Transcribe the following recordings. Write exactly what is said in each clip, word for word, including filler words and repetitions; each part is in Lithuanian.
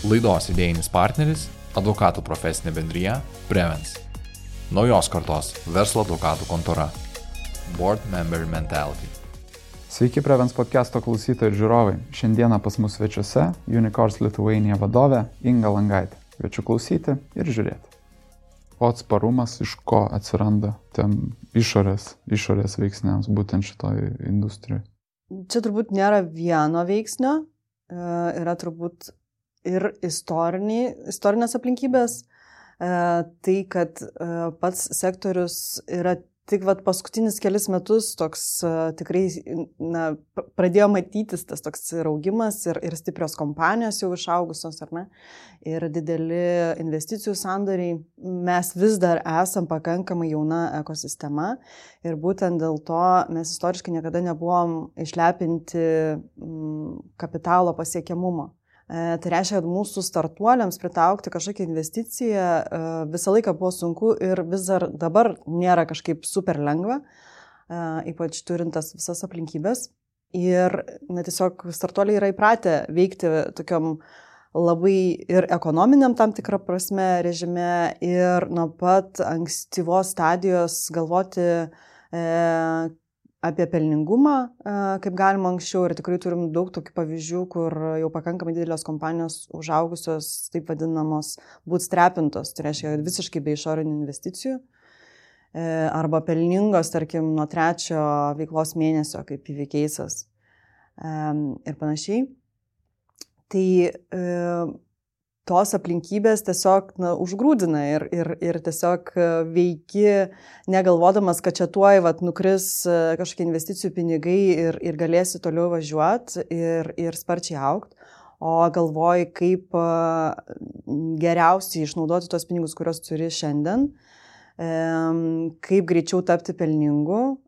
Laidos idėjinis partneris – advokatų profesinė bendrija Prevens. Naujos kartos verslo advokatų kontora. Board Member Mentality. Sveiki Prevens podcast'o klausytojai ir žiūrovai. Šiandieną pas mus svečiuose Unicorns Lithuania vadovė Inga Langaitė. Kviečiu klausyti ir žiūrėti. O atsparumas iš ko atsiranda tam išorės, išorės veiksniams būtent šitoj industrijai? Čia turbūt nėra vieno veiksnio, yra turbūt ir istoriniai, istorinės aplinkybės, tai, kad pats sektorius yra tik vat, paskutinis kelis metus toks tikrai na, pradėjo matytis tas toks ir augimas ir, ir stiprios kompanijos jau išaugusios, ar ne, ir dideli investicijų sandoriai. Mes vis dar esam pakankamai jauna ekosistema ir būtent dėl to mes istoriškai niekada nebuvom išlepinti kapitalo pasiekiamumo. Tai reiškia, kad mūsų startuoliams pritaukti kažkokią investiciją visą laiką buvo sunku ir vis dar dabar nėra kažkaip super lengva, ypač turintas visas aplinkybės. Ir na, tiesiog startuoliai yra įpratę veikti tokiam labai ir ekonominiam tam tikrą prasme režime ir nuo pat ankstyvos stadijos galvoti e, apie pelningumą, kaip galima anksčiau, ir tikrai turim daug tokių pavyzdžių, kur jau pakankamai didelės kompanijos užaugusios, taip vadinamos, bootstrapintos, tai reiškia visiškai be išorinių investicijų, arba pelningos, tarkim, nuo trečio veiklos mėnesio, kaip P V Case'as ir panašiai. Tai tos aplinkybės tiesiog na, užgrūdina ir, ir, ir tiesiog veiki, negalvodamas, kad čia tuoj vat, nukris kažkokie investicijų pinigai ir, ir galėsi toliau važiuoti ir, ir sparčiai augti, o galvoji, kaip geriausiai išnaudoti tos pinigus, kuriuos turi šiandien, kaip greičiau tapti pelningu.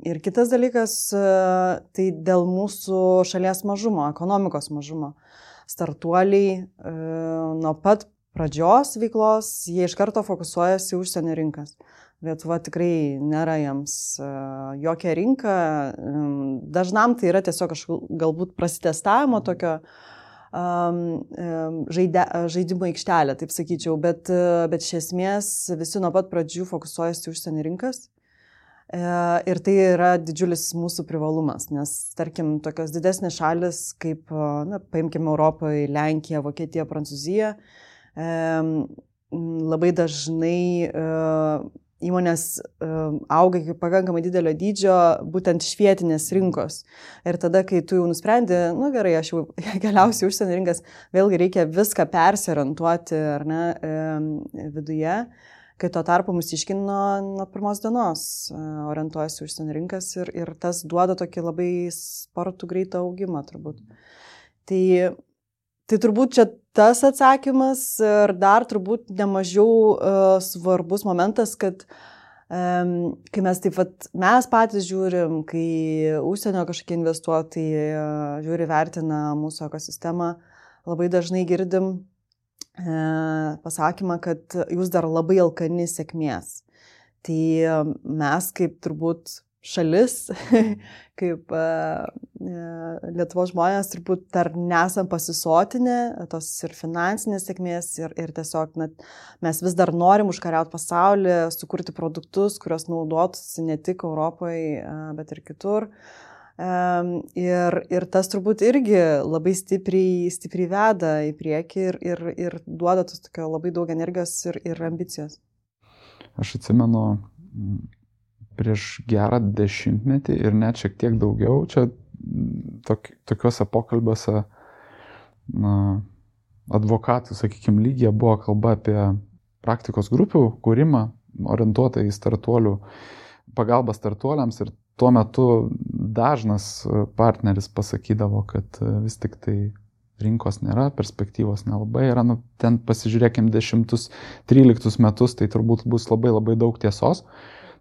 Ir kitas dalykas, tai dėl mūsų šalies mažumo, ekonomikos mažumo. Startuoliai e, nuo pat pradžios veiklos, jie iš karto fokusuojasi užsienio rinkas. Lietuva tikrai nėra jiems e, jokia rinka. E, dažnam tai yra tiesiog galbūt prasitestavimo tokio e, žaide, žaidimo aikštelė, taip sakyčiau, bet, bet iš esmės visi nuo pat pradžių fokusuojasi užsienio rinkas. Ir tai yra didžiulis mūsų privalumas, nes, tarkim, tokios didesnės šalis, kaip, na, paimkime Europoje, Lenkija, Vokietija, Prancūzija, labai dažnai įmonės auga iki pakankamai didelio dydžio būtent iš vietinės rinkos. Ir tada, kai tu jau nusprendi, nu gerai, aš jau keliausiu užsienio rinkas, vėlgi reikia viską persiorientuoti, ar ne, viduje. Kai tuo tarpu mūsiškino nuo pirmos dienos orientuojasi užsienio rinkas ir, ir tas duoda tokį labai spartų greitą augimą turbūt. Tai, tai turbūt čia tas atsakymas ir dar turbūt nemažiau uh, svarbus momentas, kad um, kai mes taip pat, mes patys žiūrim, kai užsienio kažkokie investuotojai uh, žiūri, vertina mūsų ekosistemą, labai dažnai girdim pasakymą, kad jūs dar labai alkani sėkmės. Tai mes kaip turbūt šalis, kaip Lietuvos žmonės turbūt dar nesam pasisotinę tos ir finansinės sėkmės ir, ir tiesiog na, mes vis dar norim užkariauti pasaulį, sukurti produktus, kurios naudotųsi ne tik Europoje, bet ir kitur. Um, ir, ir tas turbūt irgi labai stipriai, stipriai veda į priekį ir, ir, ir duoda tos tokio labai daug energijos ir, ir ambicijos. Aš atsimenu prieš gerą dešimtmetį ir net šiek tiek daugiau, čia tok, tokiuose pokalbiuose na, advokatų, sakykime, lygyje buvo kalba apie praktikos grupių kūrimą, orientuotą į startuolių, pagalbą startuoliams, ir tuo metu dažnas partneris pasakydavo, kad vis tik tai rinkos nėra, perspektyvos nelabai yra. Nu, ten pasižiūrėkim dešimtus, tryliktus metus, tai turbūt bus labai labai daug tiesos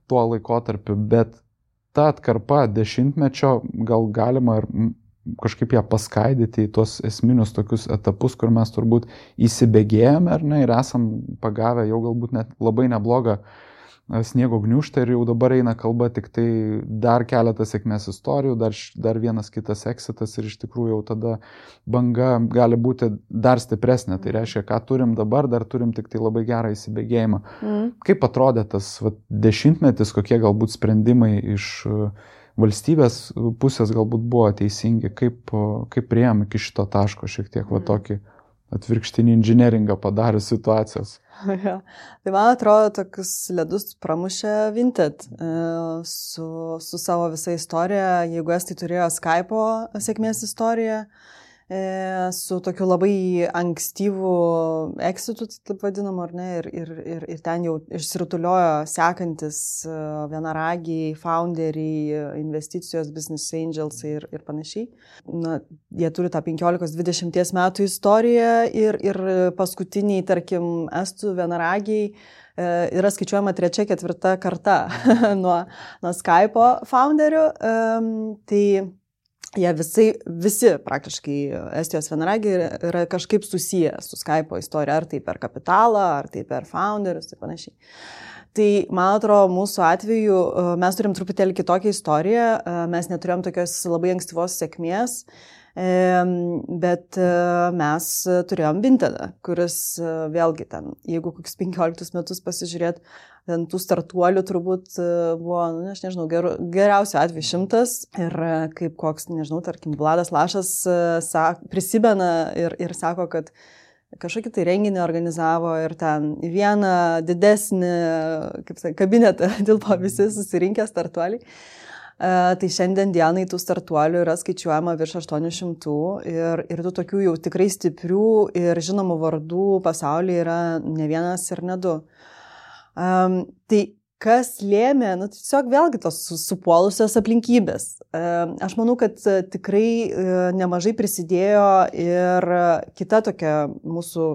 tuo laikotarpiu, bet ta atkarpa dešimtmečio gal galima ir kažkaip ją paskaidyti į tuos esminius tokius etapus, kur mes turbūt įsibėgėjame ar ne, ir esam pagavę jau galbūt net labai neblogą sniego gniūžtą ir jau dabar eina kalba tik tai dar keletas sėkmės istorijų, dar, dar vienas kitas exitas ir iš tikrųjų jau tada banga gali būti dar stipresnė. Tai reiškia, ką turim dabar, dar turim tik tai labai gerą įsibėgėjimą. Mm. Kaip atrodė tas va, dešimtmetis, kokie galbūt sprendimai iš valstybės pusės galbūt buvo teisingi, kaip, kaip priėjom iki šito taško šiek tiek va tokį atvirkštinį inžineringą padarė situacijos. Ja. Tai man atrodo, tokius ledus pramušė Vinted su, su savo visa istorija. Jeigu estai turėjo Skype'o sėkmės istoriją, su tokiu labai ankstyvu exitu, taip vadinamu, ar ne, ir, ir, ir, ir ten jau išsirutuliojo sekantis vienaragiai, founderiai, investicijos, business angels ir, ir panašiai. Na, jie turi tą penkiolikos dvidešimties metų istoriją ir, ir paskutiniai, tarkim, estų vienaragiai yra skaičiuojama trečia, ketvirta karta nuo, nuo Skype'o founderių. Um, tai jie visai, visi praktiškai Estijos vienaragiai yra kažkaip susiję su Skype'o istorija, ar tai per kapitalą, ar tai per founderius ir panašiai. Tai, man atrodo, mūsų atveju mes turim truputėlį kitokią istoriją, mes neturėjom tokios labai ankstyvos sėkmės, bet mes turėjom Vintedą, kuris vėlgi ten, jeigu kokius penkioliktus metus pasižiūrėt, ten tų startuolių turbūt buvo, nu, aš nežinau, ger, geriausiu atveju šimtas ir kaip koks, nežinau, tarkim, Vladas Lašas sak, prisimena ir, ir sako, kad kažkokį tai renginį organizavo ir ten į vieną didesnį, kaip sakai, kabinetą tilpo visi susirinkę startuoliai. Uh, tai šiandien dienai tų startuolių yra skaičiuojama virš aštuonių šimtų ir, ir tų tokių jau tikrai stiprių ir žinomų vardų pasaulyje yra ne vienas ir ne du. Um, tai kas lėmė, nu, tiesiog vėlgi tos supuolusios aplinkybės. Um, aš manau, kad tikrai uh, nemažai prisidėjo ir kita tokia mūsų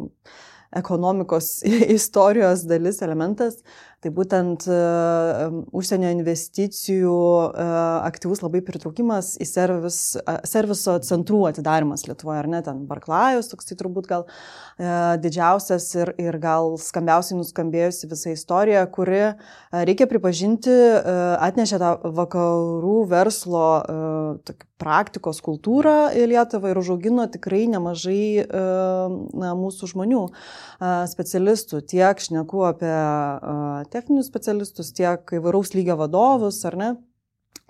ekonomikos istorijos dalis, elementas, tai būtent uh, užsienio investicijų uh, aktyvus labai pritraukimas į servis, uh, serviso centrų atidarimas Lietuvoje, ar ne, ten Barklajus, toks tai turbūt gal uh, didžiausias ir, ir gal skambiausiai nuskambėjusi visa istorija, kuri, uh, reikia pripažinti, uh, atnešė tą vakarų verslo uh, praktikos kultūrą į Lietuvą ir užaugino tikrai nemažai uh, na, mūsų žmonių, uh, specialistų, tiek šneku apie uh, techninius specialistus, tiek įvairaus lygio vadovus, ar ne?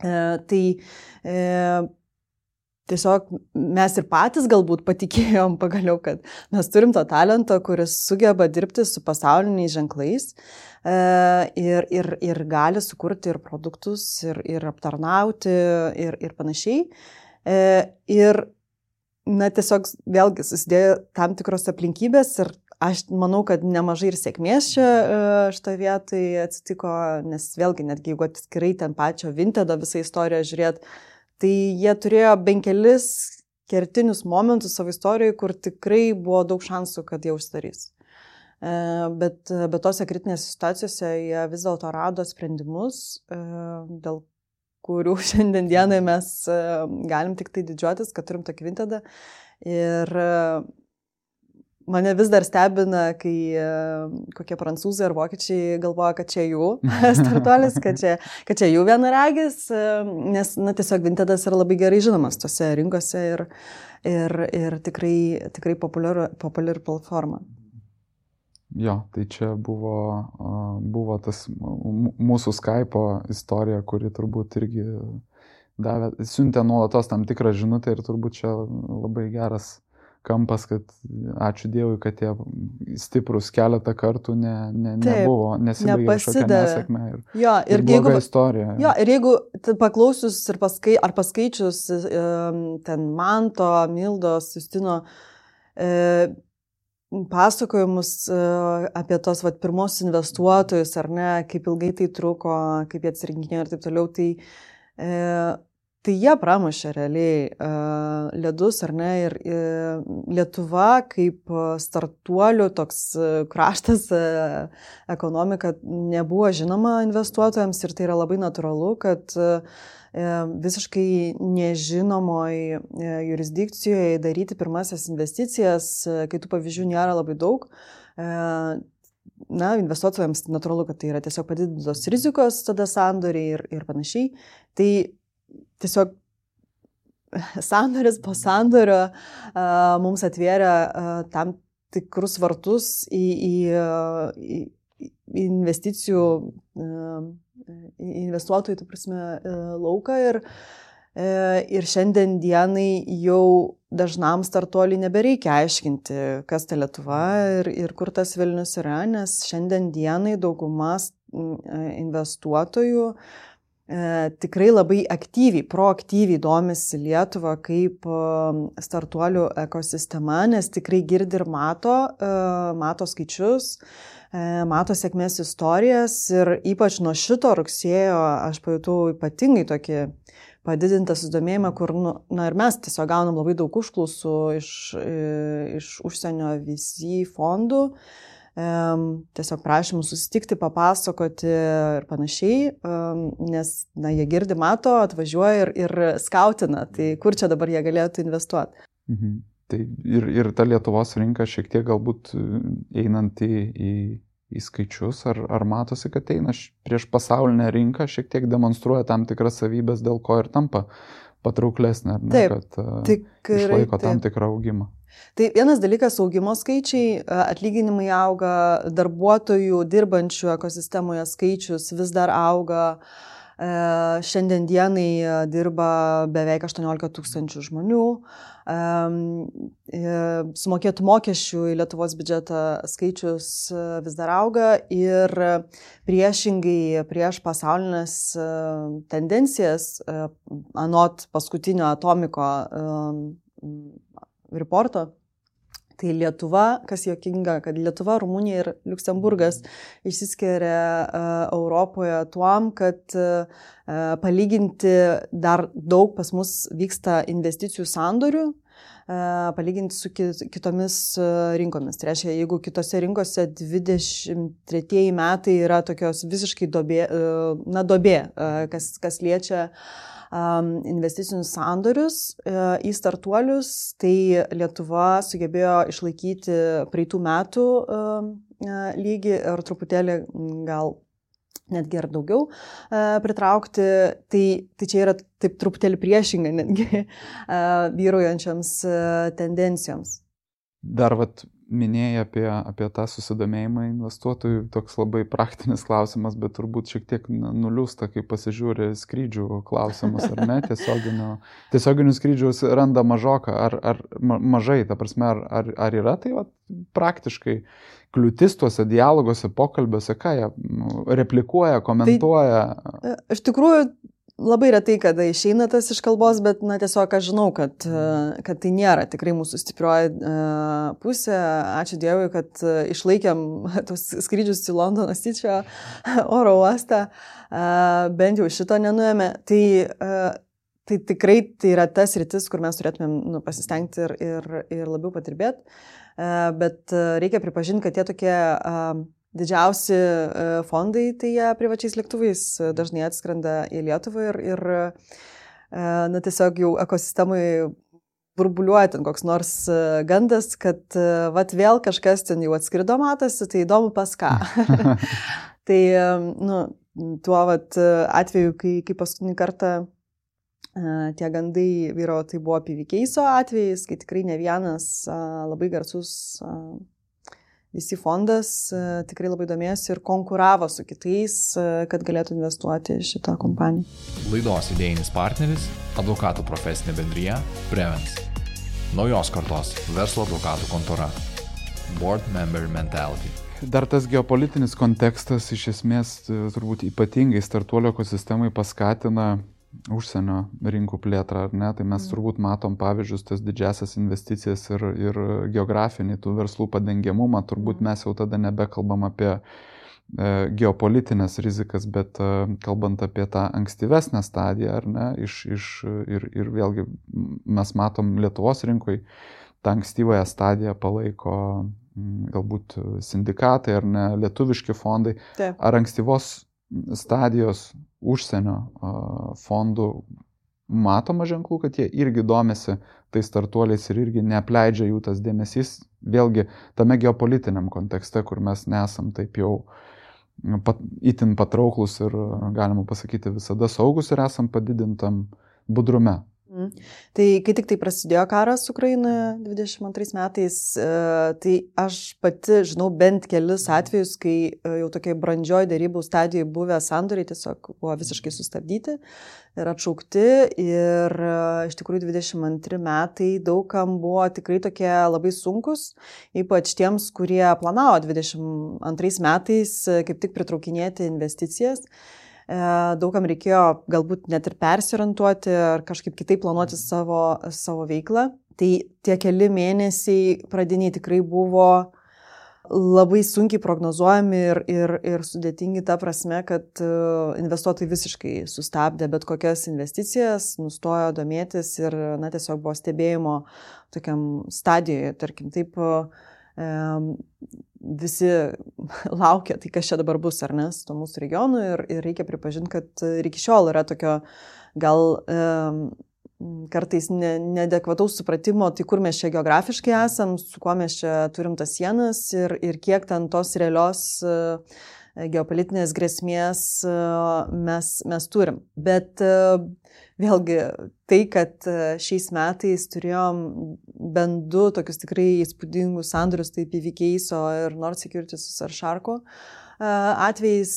E, tai e, tiesiog mes ir patys galbūt patikėjom pagaliau, kad mes turim to talento, kuris sugeba dirbti su pasauliniais ženklais e, ir, ir, ir gali sukurti ir produktus, ir, ir aptarnauti, ir, ir panašiai. E, ir na, tiesiog vėlgi susidėjo tam tikros aplinkybės ir aš manau, kad nemažai ir sėkmės čia šitą vietą atsitiko, nes vėlgi, netgi jeigu atskirai ten pačio Vintedo visą istoriją žiūrėt, tai jie turėjo bent kelis kertinius momentus savo istorijoje, kur tikrai buvo daug šansų, kad jie užsidarys. Bet, bet tose kritinėse situacijose jie vis dėlto rado sprendimus, dėl kurių šiandien dienai mes galim tik tai didžiuotis, kad turim tokį Vintedą. Ir mane vis dar stebina, kai kokie prancūzai ar vokiečiai galvoja, kad čia jų startuolis, kad čia, kad čia jų vienaragis, nes na, tiesiog Vintedas yra labai gerai žinomas tose rinkose ir, ir, ir tikrai, tikrai populiari, populiari platforma. Jo, tai čia buvo, buvo tas mūsų Skype'o istorija, kuri turbūt irgi davė, siuntė nuolatos tam tikrą žinutę ir turbūt čia labai geras kampas, kad ačiū Dievui, kad tie stiprus keletą kartų ne, ne, nebuvo, nesibaigė kažkokia nesėkmė ir, jo, ir, ir bloga jeigu, istorija. Jo, ir jeigu paklausius ir paskai, ar paskaičius ten Manto, Mildos, Justino e, pasakojimus e, apie tos vat, pirmos investuotojus, ar ne, kaip ilgai tai truko, kaip jie atsirinkinėjo ir taip toliau, tai e, Tai jie pramušė realiai uh, ledus, ar ne, ir uh, Lietuva kaip startuolių toks uh, kraštas, uh, ekonomika nebuvo žinoma investuotojams ir tai yra labai natūralu, kad uh, visiškai nežinomoj uh, jurisdikcijoje daryti pirmasias investicijas, uh, kai tų pavyzdžių nėra labai daug. Uh, na, investuotojams natūralu, kad tai yra tiesiog padidintos rizikos tada sandoriai ir, ir panašiai. Tai tiesiog sandoris po sandorio uh, mums atvėrė uh, tam tikrus vartus į, į, į, į investicijų, uh, į investuotojų, tai prasme, uh, lauką ir, uh, ir šiandien dienai jau dažnam startuoliui nebereikia aiškinti, kas ta Lietuva ir, ir kur tas Vilnius yra, nes šiandien dienai daugumas investuotojų E, tikrai labai aktyviai, proaktyviai domisi Lietuvą kaip e, startuolių ekosistema, nes tikrai girdi ir mato, e, mato skaičius, e, mato sėkmės istorijas ir ypač nuo šito rugsėjo aš pajutau ypatingai tokį padidintą susidomėjimą, kur, nu, na ir mes tiesiog gaunam labai daug užklausų iš, iš užsienio V C fondų, tiesiog prašymų susitikti, papasakoti ir panašiai, nes na, jie girdi, mato, atvažiuoja ir, ir skautina, tai kur čia dabar jie galėtų investuoti. Mhm. Tai ir, ir ta Lietuvos rinka šiek tiek galbūt einant į, į, į skaičius, ar, ar matosi, kad eina prieš pasaulinę rinką, šiek tiek demonstruoja tam tikras savybės, dėl ko ir tampa patrauklesnė, ar ne, taip, kad tikrai, išlaiko tam taip. tikrą augimą. Tai vienas dalykas augimo skaičiai, atlyginimai auga, darbuotojų dirbančių ekosistemoje skaičius vis dar auga. Šiandien dienai dirba beveik aštuoniolika tūkstančių žmonių. Sumokėtų mokesčių į Lietuvos biudžetą skaičius vis dar auga ir priešingai prieš pasaulinės tendencijas, anot paskutinio Atomiko reporto, tai Lietuva, kas juokinga, kad Lietuva, Rumunija ir Liuksemburgas išsiskiria uh, Europoje tuom, kad uh, palyginti dar daug pas mus vyksta investicijų sandorių, uh, palyginti su kitomis uh, rinkomis. Tai reiškia, jeigu kitose rinkose dvidešimt tretieji metai yra tokios visiškai dobė, uh, na, dobė, uh, kas, kas liečia investicinius sandorius į startuolius, tai Lietuva sugebėjo išlaikyti praeitų metų lygį ir truputėlį gal netgi ir daugiau pritraukti. Tai, tai čia yra taip truputėlį priešinga netgi vyraujančiams tendencijoms. Dar vat minėjai apie, apie tą susidomėjimą investuotojų, toks labai praktinis klausimas, bet turbūt šiek tiek nuliūsta, kai pasižiūri skrydžių klausimus, ar ne, tiesioginių, tiesioginių skrydžių randa mažoką, ar, ar mažai, ta prasme, ar, ar, ar yra tai vat, praktiškai kliūtis tuose dialoguose, pokalbiuose, ką jie replikuoja, komentuoja? Tai, iš tikrųjų, labai retai, kada išeina tas iš kalbos, bet na, tiesiog aš žinau, kad, kad tai nėra tikrai mūsų stiprioji uh, pusė. Ačiū Dievui, kad uh, išlaikėm tos skrydžius į Londono Sičio oro uostą, uh, bent jau šito nenuėmė. Tai, uh, tai tikrai tai yra tas rytis, kur mes turėtumėm nu, pasistengti ir, ir, ir labiau patirbėti. Uh, bet uh, reikia pripažinti, kad tie tokie uh, didžiausi fondai, tai jie privačiais lėktuvais dažnai atskrenda į Lietuvą ir, ir na, tiesiog jau ekosistemai burbuliuoja ten koks nors gandas, kad vat vėl kažkas ten jau atskrido matosi, tai įdomu pas ką. Tai nu, tuo vat atveju, kai, kai paskutinį kartą tie gandai vyro, tai buvo P V Case'o atvejais, kai tikrai ne vienas labai garsus V C fondas tikrai labai domėjosi ir konkuravo su kitais, kad galėtų investuoti šitą kompaniją. Laidos idėjinis partneris – advokatų profesinė bendrija Prevens. Naujos kartos verslo advokatų kontora. Board Member Mentality. Dar tas geopolitinis kontekstas iš esmės turbūt ypatingai startuolio ekosistemai paskatina užsienio rinkų plėtrą, ar ne? Tai mes turbūt matom pavyzdžius, tas didžiasias investicijas ir, ir geografinį tų verslų padengiamumą. Turbūt mes jau tada nebekalbam apie e, geopolitinės rizikas, bet e, kalbant apie tą ankstyvesnę stadiją, ar ne? Iš, iš, ir, ir vėlgi mes matom Lietuvos rinkoj, tą ankstyvąją stadiją palaiko m, galbūt sindikatai ar ne, lietuviški fondai. Taip. Ar ankstyvos stadijos užsienio fondų matoma ženklų, kad jie irgi domisi tais startuoliais ir irgi neapleidžia jų tas dėmesys, vėlgi tame geopolitiniam kontekste, kur mes nesam taip jau pat, itin patrauklus ir, galima pasakyti, visada saugus ir esam padidintam budrume. Mm. Tai kai tik tai prasidėjo karas Ukrainoje dvidešimt antrais metais, tai aš pati žinau bent kelis atvejus, kai jau tokiai brandžioj dėrybų stadijoje buvę sandoriai tiesiog buvo visiškai sustabdyti ir atšaukti. Ir iš tikrųjų dvidešimt antri metai daugam buvo tikrai tokie labai sunkus, ypač tiems, kurie planavo dvidešimt antrais metais kaip tik pritraukinėti investicijas. Daugam reikėjo galbūt net ir persiorientuoti ar kažkaip kitaip planuoti savo, savo veiklą. Tai tie keli mėnesiai pradiniai tikrai buvo labai sunkiai prognozuojami ir, ir, ir sudėtingi ta prasme, kad investuotojai visiškai sustabdė bet kokias investicijas, nustojo domėtis ir na, tiesiog buvo stebėjimo tokiam stadijoje, tarkim, taip visi laukia, tai kas čia dabar bus, ar ne, su to mūsų regionu ir, ir reikia pripažinti, kad ir iki šiol yra tokio gal e, kartais ne, neadekvataus supratimo, tai kur mes čia geografiškai esam, su kuo mes čia turim tas sienas ir, ir kiek ten tos realios e, geopolitinės grėsmės e, mes, mes turim. Bet e, vėlgi tai, kad šiais metais turėjom bent du tokius tikrai įspūdingus sandorius, tai P V Case ir Nord Securities ar Sharko atvejais,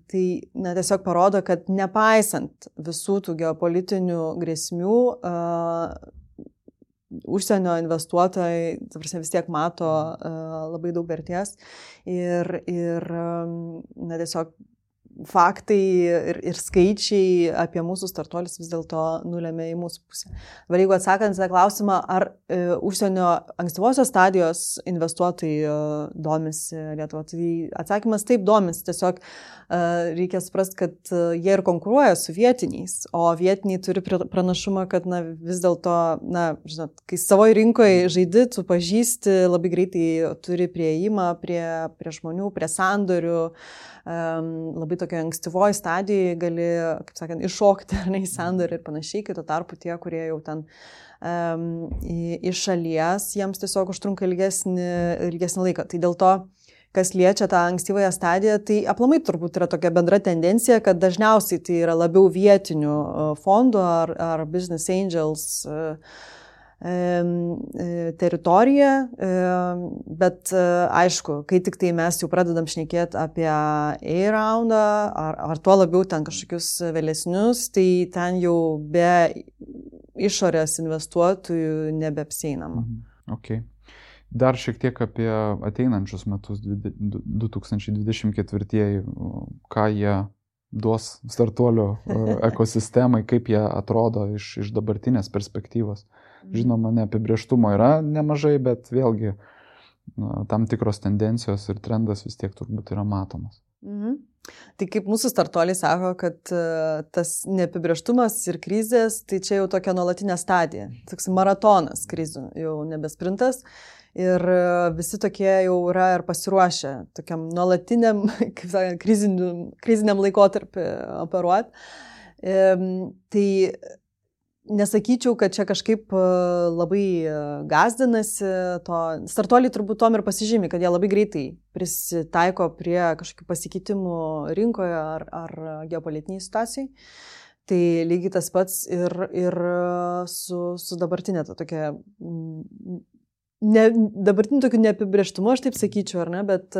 tai na, tiesiog parodo, kad nepaisant visų tų geopolitinių grėsmių, užsienio investuotojai, ta prasme, vis tiek mato labai daug vertės ir, ir na, tiesiog faktai ir, ir skaičiai apie mūsų startuolius vis dėlto nulėmė į mūsų pusę. Dabar jeigu atsakant tą klausimą, ar e, užsienio ankstyvosios stadijos investuotojai e, domisi Lietuva, tai atsakymas taip domisi. Tiesiog e, reikia suprasti, kad e, jie ir konkuruoja su vietiniais, o vietiniai turi pranašumą, kad na, vis dėlto, na, žinot, kai savoje rinkoje žaidi, tu pažįsti, labai greitai turi prieimą prie, prie žmonių, prie sandorių, um, labai tokio ankstyvoje stadijoje gali, kaip sakant, iššokti ar ne į sandorį ir panašiai, kai tuo tarpu tie, kurie jau ten um, iš šalies, jiems tiesiog užtrunka ilgesnį, ilgesnį laiką. Tai dėl to, kas liečia tą ankstyvąją stadiją, tai aplamai turbūt yra tokia bendra tendencija, kad dažniausiai tai yra labiau vietinių fondų ar, ar business angels teritoriją, bet aišku, kai tik tai mes jau pradedam šnekėti apie A-roundą ar, ar tuo labiau ten kažkokius vėlesnius, tai ten jau be išorės investuotojų nebeapseinama. Okay. Dar šiek tiek apie ateinančius metus, du tūkstančiai dvidešimt ketvirtieji, ką jie duos startuolio ekosistemai, kaip jie atrodo iš, iš dabartinės perspektyvos. Žinoma, neapibrėžtumo yra nemažai, bet vėlgi na, tam tikros tendencijos ir trendas vis tiek turbūt yra matomas. Mhm. Tai kaip mūsų startuoliai sako, kad uh, tas neapibrėžtumas ir krizės, tai čia jau tokia nuolatinė stadija, toks maratonas krizių, jau nebesprintas. Ir visi tokie jau yra ir pasiruošę tokiam nuolatiniam, kaip sakant, kriziniam, kriziniam laikotarpį operuoti. E, tai nesakyčiau, kad čia kažkaip labai gazdinasi to. Startuoliai turbūt tom ir pasižymi, kad jie labai greitai prisitaiko prie kažkokių pasikeitimų rinkoje ar, ar geopolitiniai situacijai. Tai lygiai tas pats ir, ir su, su dabartinė ta tokia, ne, dabartiniu tokiu neapibrėžtumu, aš taip sakyčiau, ar ne, bet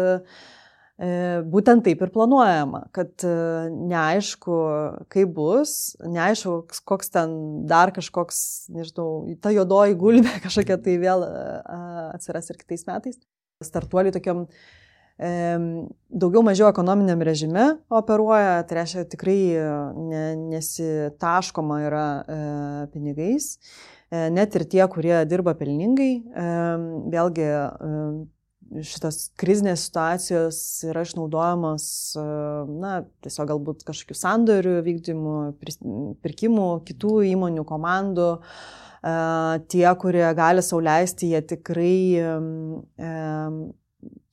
būtent taip ir planuojama, kad neaišku, kaip bus, neaišku, koks ten dar kažkoks, nežinau, ta juodoji gulbė kažkokia tai vėl atsiras ir kitais metais. Startuoliai tokiam e, daugiau mažiau ekonominiam režime operuoja, tai reiškia tikrai ne, nesitaškoma yra e, pinigais, e, net ir tie, kurie dirba pelningai, e, vėlgi e, šitas krizinės situacijos yra išnaudojamos, na, tiesiog galbūt kažkokių sandorių vykdymų, pirkimų, kitų įmonių, komandų. Tie, kurie gali sau leisti, jie tikrai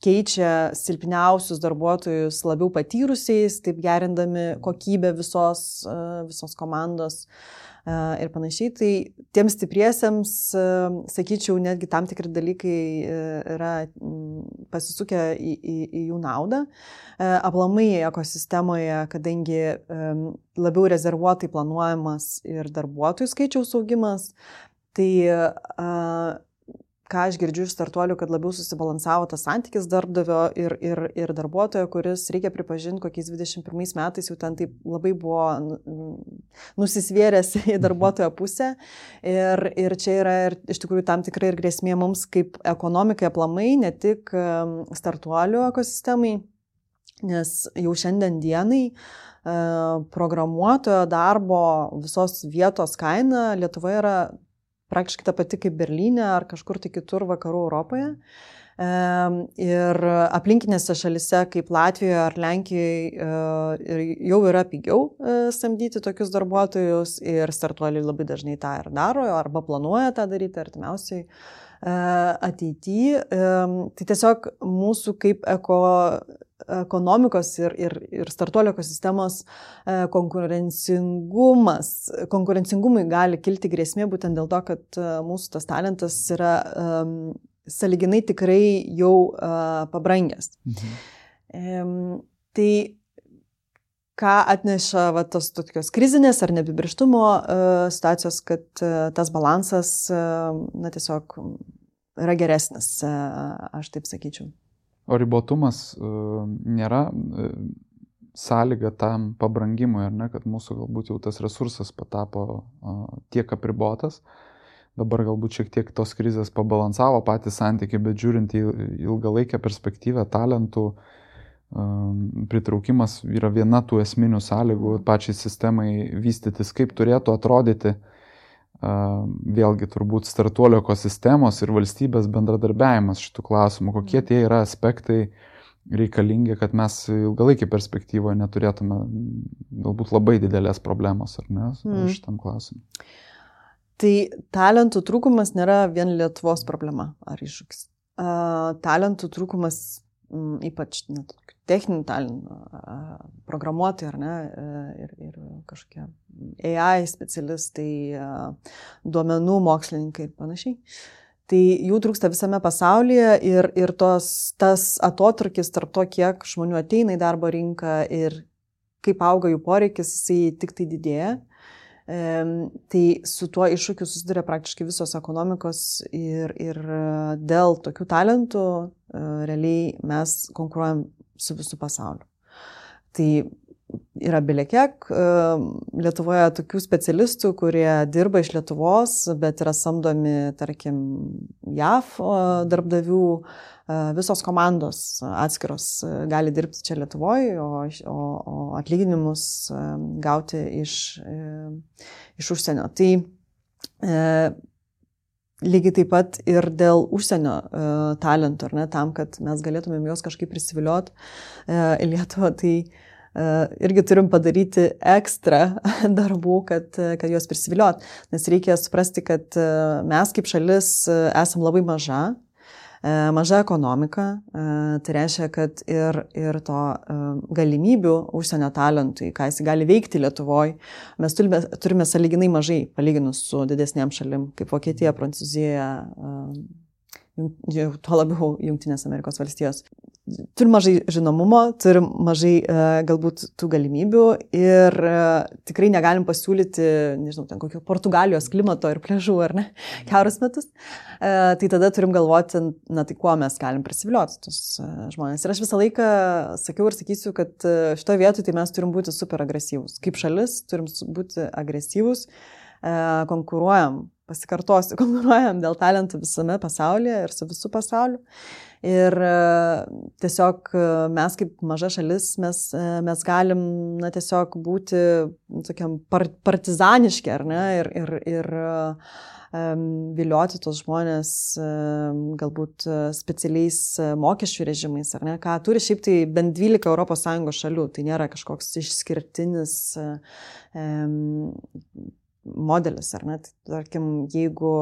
keičia silpniausius darbuotojus labiau patyrusiais, taip gerindami kokybę visos, visos komandos. ir panašiai. Tai tiems stipriesiems, sakyčiau, netgi tam tikri dalykai yra pasisukę į, į, į jų naudą. Aplamai ekosistemoje, kadangi labiau rezervuotai planuojamas ir darbuotojų skaičiaus augimas, tai ką aš girdžiu iš startuolių, kad labiau susibalansavo tas santykis darbdavio ir, ir, ir darbuotojo, kuris, reikia pripažinti, kokiais dvidešimt pirmais metais jau ten taip labai buvo nusisvėręs į darbuotojo pusę. Ir, ir čia yra ir, iš tikrųjų tam tikrai ir grėsmė mums kaip ekonomikai aplamai, ne tik startuolių ekosistemai, nes jau šiandien dienai programuotojo darbo visos vietos kaina Lietuvoje yra praktiškai ta pati kaip Berlyne ar kažkur tai kitur vakarų Europoje. Ir aplinkinėse šalise kaip Latvijoje ar Lenkijoje jau yra pigiau samdyti tokius darbuotojus ir startuoliai labai dažnai tą ir daro arba planuoja tą daryti artimiausiai ateityje. Tai tiesiog mūsų kaip eko ekonomikos ir, ir, ir startuolio ekosistemos konkurencingumas, konkurencingumui gali kilti grėsmė būtent dėl to, kad mūsų tas talentas yra um, sąlyginai tikrai jau uh, pabrangęs. Mhm. Um, tai ką atneša va, tos tokios krizinės ar neapibrėžtumo uh, situacijos, kad uh, tas balansas uh, na, tiesiog yra geresnis, uh, aš taip sakyčiau. O ribotumas uh, nėra uh, sąlyga tam pabrangimui, ar ne, kad mūsų galbūt jau tas resursas patapo uh, tiek apribotas. Dabar galbūt šiek tiek tos krizės pabalansavo patį santykį, bet žiūrint į ilgalaikę perspektyvą, talentų uh, pritraukimas yra viena tų esminių sąlygų pačiai sistemai vystytis, kaip turėtų atrodyti vėlgi turbūt startuolio ekosistemos ir valstybės bendradarbiavimas šitų klausimų, kokie tie yra aspektai reikalingi, kad mes ilgalaikį perspektyvoje neturėtume galbūt labai didelės problemos, ar ne, mm. šitam klausimui. Tai talentų trūkumas nėra vien Lietuvos problema ar iššūkis. Talentų trūkumas, ypač net techninių talentų, programuotojai, ar ne, ir, ir kažkokie A I specialistai, duomenų mokslininkai ir panašiai. Tai jų trūksta visame pasaulyje ir, ir tos, tas atotrukis tarp to, kiek žmonių ateina į darbo rinką ir kaip auga jų poreikis, jisai tik tai didėja. E, tai su tuo iššūkiu susiduria praktiškai visos ekonomikos ir, ir dėl tokių talentų e, realiai mes konkuruojam su visų pasauliu. Tai yra belekiek Lietuvoje tokių specialistų, kurie dirba iš Lietuvos, bet yra samdomi, tarkim, J A V darbdavių, visos komandos atskiros gali dirbti čia Lietuvoje, o, o, o atlyginimus gauti iš, iš užsienio. Tai e, lygiai taip pat ir dėl užsienio e, talentų, ar ne, tam, kad mes galėtumėm juos kažkaip prisivilioti e, į Lietuvą, tai irgi turim padaryti ekstra darbų, kad, kad juos prisiviliot. Nes reikia suprasti, kad mes kaip šalis esam labai maža, maža ekonomika. Tai reiškia, kad ir, ir to galimybių užsienio talentui, ką jis gali veikti Lietuvoje, mes turime, turime sąlyginai mažai palyginus su didesnėm šalim, kaip Vokietija, Prancūzija, tuo labiau Jungtinės Amerikos valstijos. Turim mažai žinomumo, turim mažai e, galbūt tų galimybių ir e, tikrai negalim pasiūlyti, nežinau, ten kokio Portugalijos klimato ir pliažų, ar ne, keturis metus. E, tai tada turim galvoti, na tai kuo mes galim prisivilioti tos e, žmonės. Ir aš visą laiką sakiau ir sakysiu, kad šitoje vietoje tai mes turim būti super agresyvūs. Kaip šalis turim būti agresyvūs, e, konkuruojam, pasikartosiu, konkuruojam dėl talentų visame pasaulyje ir su visų pasauliu. Ir tiesiog mes kaip maža šalis, mes, mes galim na, tiesiog būti tokiam partizaniški, ar ne, ir, ir, ir um, vilioti tos žmonės um, galbūt specialiais mokesčių režimais, ar ne, ką turi šiaip tai bent dvylika Europos Sąjungos šalių, tai nėra kažkoks išskirtinis um, modelis, ar ne, tai, tarkim, jeigu,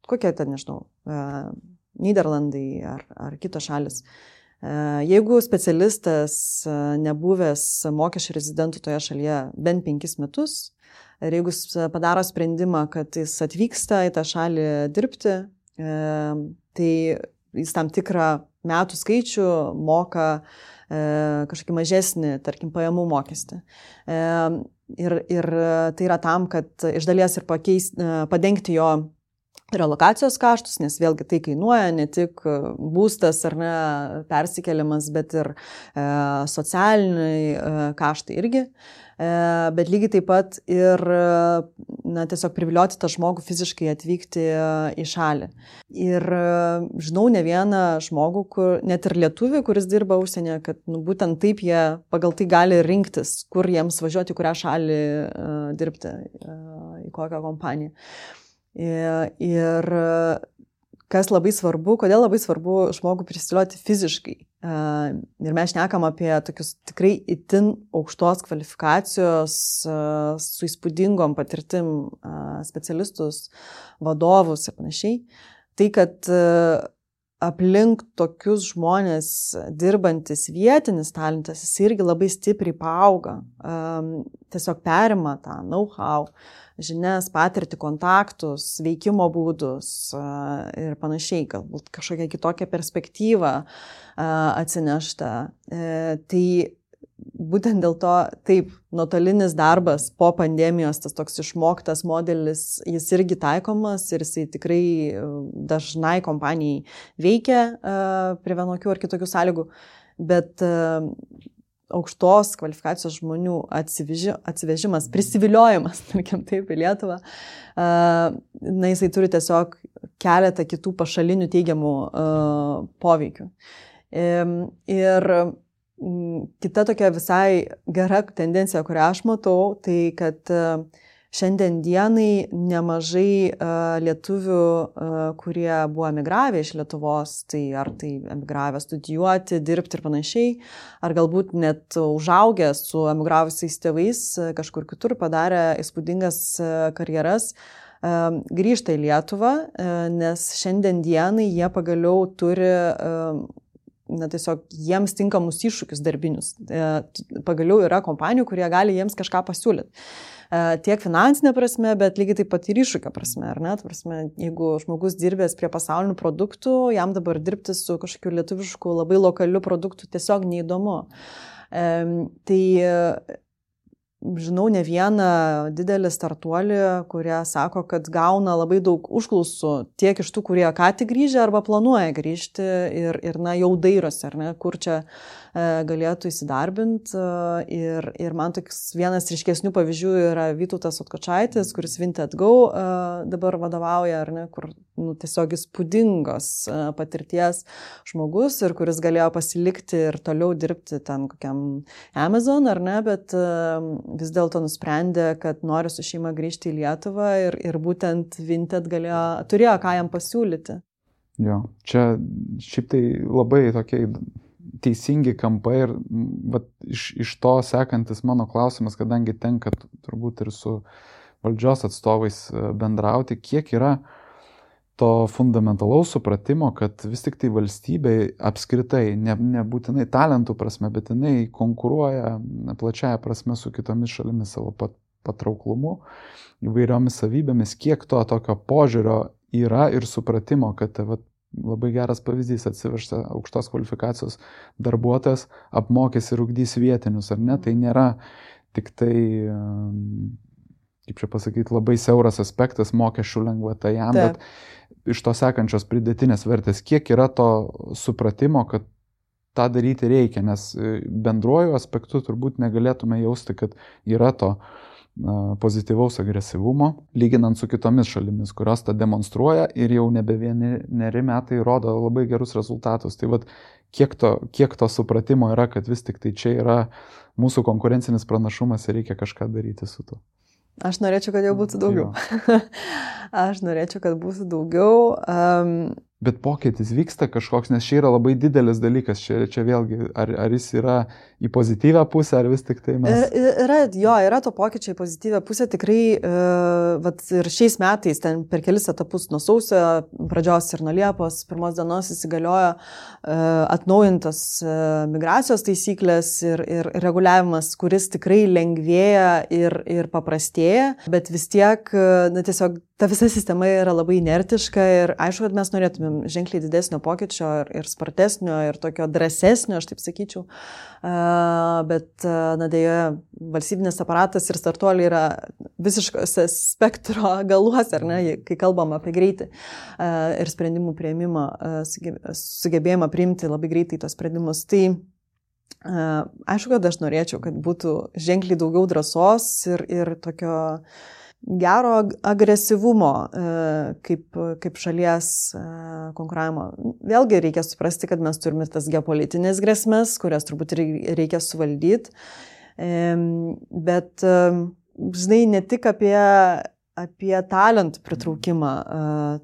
kokia ten, nežinau, uh, Nyderlandai ar, ar kitos šalis. Jeigu specialistas nebuvęs mokesčių rezidentų toje šalyje bent penkis metus, Ir jeigu jis padaro sprendimą, kad jis atvyksta į tą šalį dirbti, tai jis tam tikrą metų skaičių moka kažkokį mažesnį, tarkim, pajamų mokestį. Ir, ir tai yra tam, kad iš dalies ir pakeis, padengti jo relokacijos kaštus, nes vėlgi tai kainuoja ne tik būstas ar ne persikeliamas, bet ir e, socialiniai e, kaštai irgi. E, bet lygiai taip pat ir na, tiesiog privilioti tą žmogų fiziškai atvykti į šalį. Ir žinau ne vieną žmogų, kur, net ir lietuvį, kuris dirba užsienyje, kad nu, būtent taip jie pagal tai gali rinktis, kur jiems važiuoti, kurią šalį e, dirbti, e, į kokią kompaniją. Ir kas labai svarbu, kodėl labai svarbu žmogų prisilioti fiziškai. Ir mes šnekam apie tokius tikrai itin aukštos kvalifikacijos, su įspūdingom patirtim specialistus, vadovus ir panašiai. Tai, kad aplink tokius žmonės dirbantis vietinis talentas, jis irgi labai stipriai paauga. Tiesiog perima tą know-how, žinias, patirtį, kontaktus, veikimo būdus ir panašiai, galbūt kažkokią kitokią perspektyvą atsinešta. Tai būtent dėl to, taip, nuotolinis darbas po pandemijos, tas toks išmoktas modelis, jis irgi taikomas ir jisai tikrai dažnai kompanijai veikia prie vienokių ar kitokių sąlygų, bet aukštos kvalifikacijos žmonių atsiveži, atsivežimas, prisiviliojimas, tarkim taip, į Lietuvą, na, jisai turi tiesiog keletą kitų pašalinių teigiamų poveikių. Ir kita tokia visai gera tendencija, kurią aš matau, tai kad šiandien dienai nemažai uh, lietuvių, uh, kurie buvo emigravę iš Lietuvos, tai ar tai emigravę studijuoti, dirbti ir panašiai, ar galbūt net užaugę su emigravusiais tėvais kažkur kitur padarę įspūdingas uh, karjeras, uh, grįžta į Lietuvą, uh, nes šiandien dienai jie pagaliau turi uh, na, tiesiog jiems tinkamus iššūkius darbinius. Uh, pagaliau yra kompanijų, kurie gali jiems kažką pasiūlyti. Tiek finansinė prasme, bet lygiai taip pat ir iššūkio prasme, ar ne? Prasme, jeigu žmogus dirbęs prie pasaulinių produktų, jam dabar dirbti su kažkokiu lietuvišku labai lokaliu produktu tiesiog neįdomu. Tai žinau ne vieną didelį startuolį, kurie sako, kad gauna labai daug užklausų tiek iš tų, kurie ką tik grįžę arba planuoja grįžti ir, ir na, jau dairosi, ar ne, kur čia galėtų įsidarbinti. Ir, ir man toks vienas ryškesnių pavyzdžių yra Vytautas Otkočaitis, kuris Vinted Go dabar vadovauja, ar ne, kur nu, tiesiog įspūdingos patirties žmogus ir kuris galėjo pasilikti ir toliau dirbti ten kokiam Amazon, ar ne, bet vis dėlto nusprendė, kad nori su šeima grįžti į Lietuvą ir, ir būtent Vinted galėjo, turėjo ką jam pasiūlyti. Jo, čia šiaip tai labai tokie teisingi kampai ir vat, iš, iš to sekantis mano klausimas, kadangi tenka turbūt ir su valdžios atstovais bendrauti, kiek yra to fundamentalaus supratimo, kad vis tik tai valstybei apskritai, ne, nebūtinai talentų prasme, bet jinai konkuruoja plačiaja prasme su kitomis šalimis savo pat, patrauklumu, įvairiomis savybėmis, kiek to tokio požiūrio yra ir supratimo, kad vat, labai geras pavyzdys atsivežta aukštos kvalifikacijos darbuotojas, apmokys ir ugdys vietinius, ar ne? Tai nėra tik tai, kaip čia pasakyti, labai siauras aspektas mokesčių lengvata jam, Taip. Bet iš to sekančios pridėtinės vertės, kiek yra to supratimo, kad tą daryti reikia, nes bendruoju aspektu turbūt negalėtume jausti, kad yra to pozityvaus agresyvumo, lyginant su kitomis šalimis, kurios tą demonstruoja ir jau nebe vieneri metai rodo labai gerus rezultatus. Tai vat, kiek to, kiek to supratimo yra, kad vis tik tai čia yra mūsų konkurencinis pranašumas ir reikia kažką daryti su tuo. Aš norėčiau, kad jau būtų daugiau. Aš norėčiau, kad būtų daugiau. Um, Bet pokytis vyksta kažkoks, nes čia yra labai didelis dalykas, čia, čia vėlgi, ar, ar jis yra į pozityvę pusę, ar vis tik tai mes... Yra, jo, yra to pokyčio į pozityvę pusę, tikrai, uh, vat, ir šiais metais, ten per kelis etapus nuo sausio pradžios ir nuo Liepos pirmos dienos įsigaliojo uh, atnaujintas uh, migracijos taisyklės ir, ir reguliavimas, kuris tikrai lengvėja ir, ir paprastėja, bet vis tiek, uh, na, tiesiog ta visa sistema yra labai inertiška ir aišku, kad mes norėtumėm ženkliai didesnio pokyčio ir, ir spartesnio ir tokio drąsesnio, aš taip sakyčiau. Uh, bet, uh, na, dėja, valstybinės aparatas ir startuoliai yra visiškose spektro galuose, ar ne, kai kalbam apie greitį uh, ir sprendimų priėmimą, uh, sugebėjimą priimti labai greitai tos sprendimus. Tai uh, aišku, kad aš norėčiau, kad būtų ženkliai daugiau drąsos ir, ir tokio gero agresyvumo kaip, kaip šalies konkuravimo. Vėlgi reikia suprasti, kad mes turime tas geopolitinės grėsmės, kurias turbūt reikia suvaldyti. Bet, žinai, ne tik apie, apie talentų pritraukimą,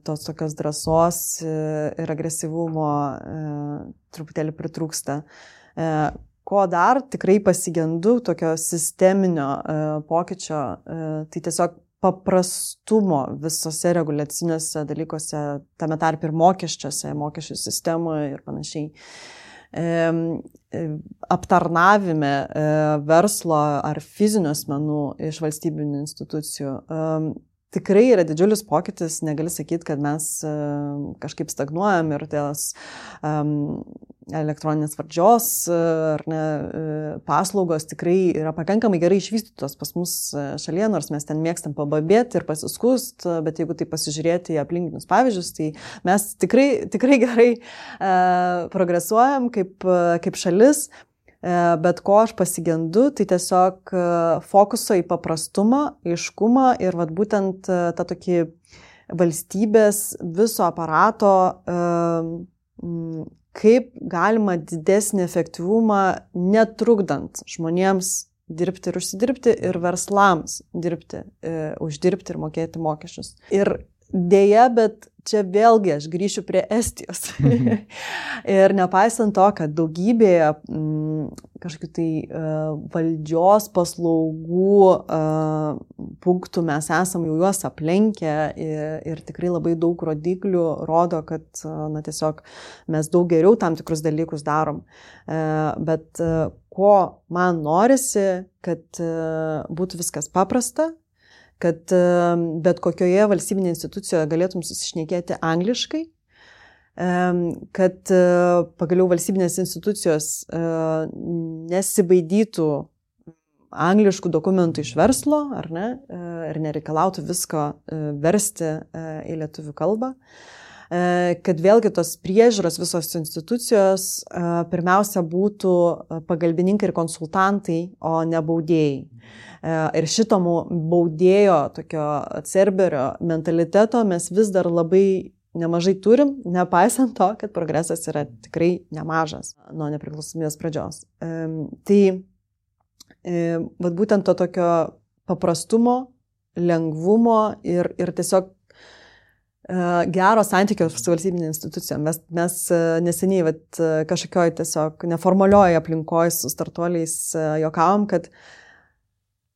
tos tokios drąsos ir agresyvumo truputėlį pritrūksta. Ko dar tikrai pasigendu tokio sisteminio pokyčio, tai tiesiog paprastumo visose reguliaciniuose dalykuose, tame tarp ir mokesčiuose, mokesčių sistemoje ir panašiai. Aptarnavime verslo ar fizinių asmenų iš valstybinių institucijų. Tikrai yra didžiulis pokytis, negali sakyti, kad mes kažkaip stagnuojam ir tos um, elektroninės valdžios ar ne, paslaugos tikrai yra pakankamai gerai išvystytos pas mus šalyje, nors mes ten mėgstam pababėti ir pasiskust, bet jeigu tai pasižiūrėti į aplinkinius pavyzdžius, tai mes tikrai, tikrai gerai uh, progresuojam kaip, kaip šalis. Bet ko aš pasigendu, tai tiesiog fokuso į paprastumą, aiškumą ir vat, būtent tą tokį valstybės viso aparato, kaip galima didesnį efektyvumą netrukdant žmonėms dirbti ir užsidirbti ir verslams dirbti, uždirbti ir mokėti mokesčius. Ir dėja, bet čia vėlgi aš grįšiu prie Estijos. Ir nepaisant to, kad daugybėje m, kažkokių tai uh, valdžios paslaugų uh, punktų mes esam jau juos aplenkę ir, ir tikrai labai daug rodiklių rodo, kad uh, na, tiesiog mes daug geriau tam tikrus dalykus darom. Uh, bet uh, ko man norisi, kad uh, būtų viskas paprasta, kad bet kokioje valstybinėje institucijoje galėtum susišnekėti angliškai, kad pagaliau valstybinės institucijos nesibaidytų angliškų dokumentų iš verslo, ar ne, ir nereikalautų visko versti į lietuvių kalbą. Kad vėlgi tos priežiūros visos institucijos pirmiausia būtų pagalbininkai ir konsultantai, o ne baudėjai. Ir šito baudėjo tokio cerberio mentaliteto mes vis dar labai nemažai turim, nepaisant to, kad progresas yra tikrai nemažas nuo nepriklausomybės pradžios. Tai vat būtent to tokio paprastumo, lengvumo ir, ir tiesiog gero santykio su valstybinė institucija. Mes, mes neseniai vat, kažkokioj tiesiog neformalioje aplinkoje su startuoliais juokavom, kad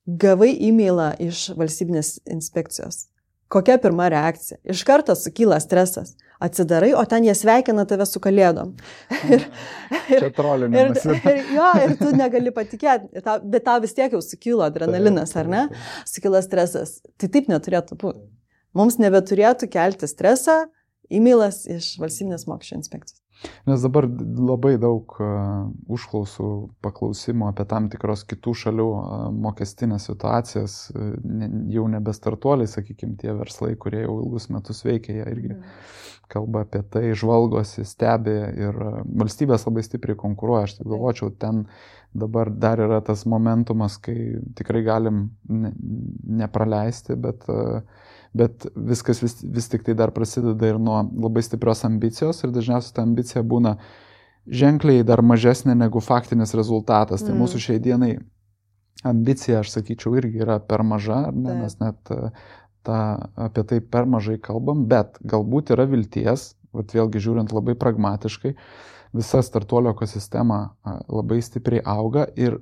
gavai e-mailą iš valstybinės inspekcijos. Kokia pirma reakcija? Iš karto sukyla stresas. Atsidarai, o ten jie sveikina tave su kalėdom. Ir, Čia trolinimas. Ir, ir, jo, ir tu negali patikėti, bet tau vis tiek jau sukilo adrenalinas, ar ne? Sukilo stresas. Tai taip neturėtų būti. Mums nebeturėtų kelti stresą e-mailas iš valstybinės mokesčių inspekcijos. Nes dabar labai daug uh, užklausų paklausimų apie tam tikros kitų šalių uh, mokestinės situacijas, uh, ne, jau nebestartuoliai, sakykime, tie verslai, kurie jau ilgus metus veikia, jie irgi mm. kalba apie tai, žvalgosi, stebi ir uh, valstybės labai stipriai konkuruoja. Aš taip galvočiau, ten dabar dar yra tas momentumas, kai tikrai galim ne, nepraleisti, bet uh, bet viskas vis, vis tik tai dar prasideda ir nuo labai stiprios ambicijos ir dažniausiai ta ambicija būna ženkliai dar mažesnė negu faktinis rezultatas. Mm. Tai mūsų šiai dienai ambicija, aš sakyčiau, irgi yra per maža, ar ne? Mes net ta, apie tai per mažai kalbam, bet galbūt yra vilties vat vėlgi žiūrint labai pragmatiškai, visa startuolio ekosistema labai stipriai auga ir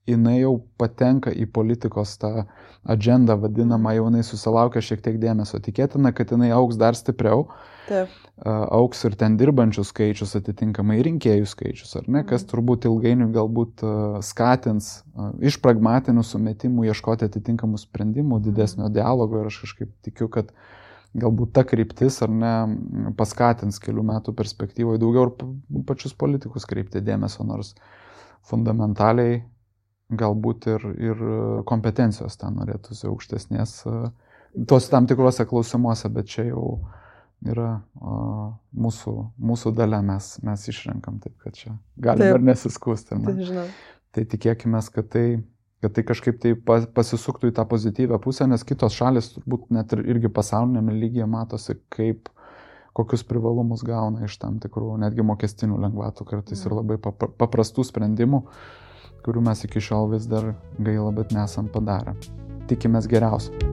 jinai jau patenka į politikos tą agendą vadinamą, jau jinai susilaukia šiek tiek dėmesio. Tikėtina, kad jinai augs dar stipriau. Taip. Auks ir ten dirbančių skaičius, atitinkamai rinkėjų skaičius, ar ne, kas turbūt ilgainiui galbūt skatins iš pragmatinių sumetimų ieškoti atitinkamų sprendimų, didesnio dialogo ir aš kažkaip tikiu, kad galbūt ta kryptis, ar ne, paskatins kelių metų perspektyvoje daugiau ir pačius politikus kreipti dėmesio, nors fundamentaliai galbūt ir, ir kompetencijos ten norėtųsi aukštesnės tos tam tikrose klausimuose, bet čia jau yra o, mūsų, mūsų dalia, mes, mes išrenkam, taip kad čia galim ir nesiskūsti. Tai, tai tikėkime, kad tai, kad tai kažkaip tai pasisuktų į tą pozityvę pusę, nes kitos šalis turbūt net ir, irgi pasaulinėme lygyje matosi, kaip kokius privalumus gauna iš tam tikrų netgi mokestinių lengvatų kartais ir labai paprastų sprendimų, kurių mes iki šiol vis dar gaila, bet nesam padarę. Tikimės geriausio.